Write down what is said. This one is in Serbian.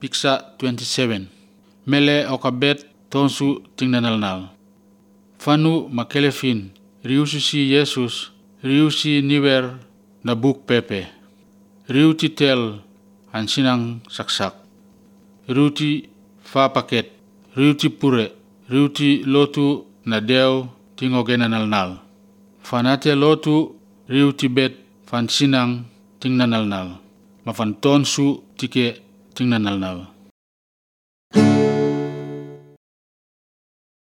Picture 27. Mele okabet tonsu tingnanalnal. Fanu makelefin riusi si Jesus riusi niwer na buk pepe. Riuti tel hansinang saksak. Riuti fa paket. Riuti pure. Riuti lotu na deo tingogenanalnal. Fanate lotu riuti bet fansinang tingnanalnal. Mafan tonsu tike tingnanalnal.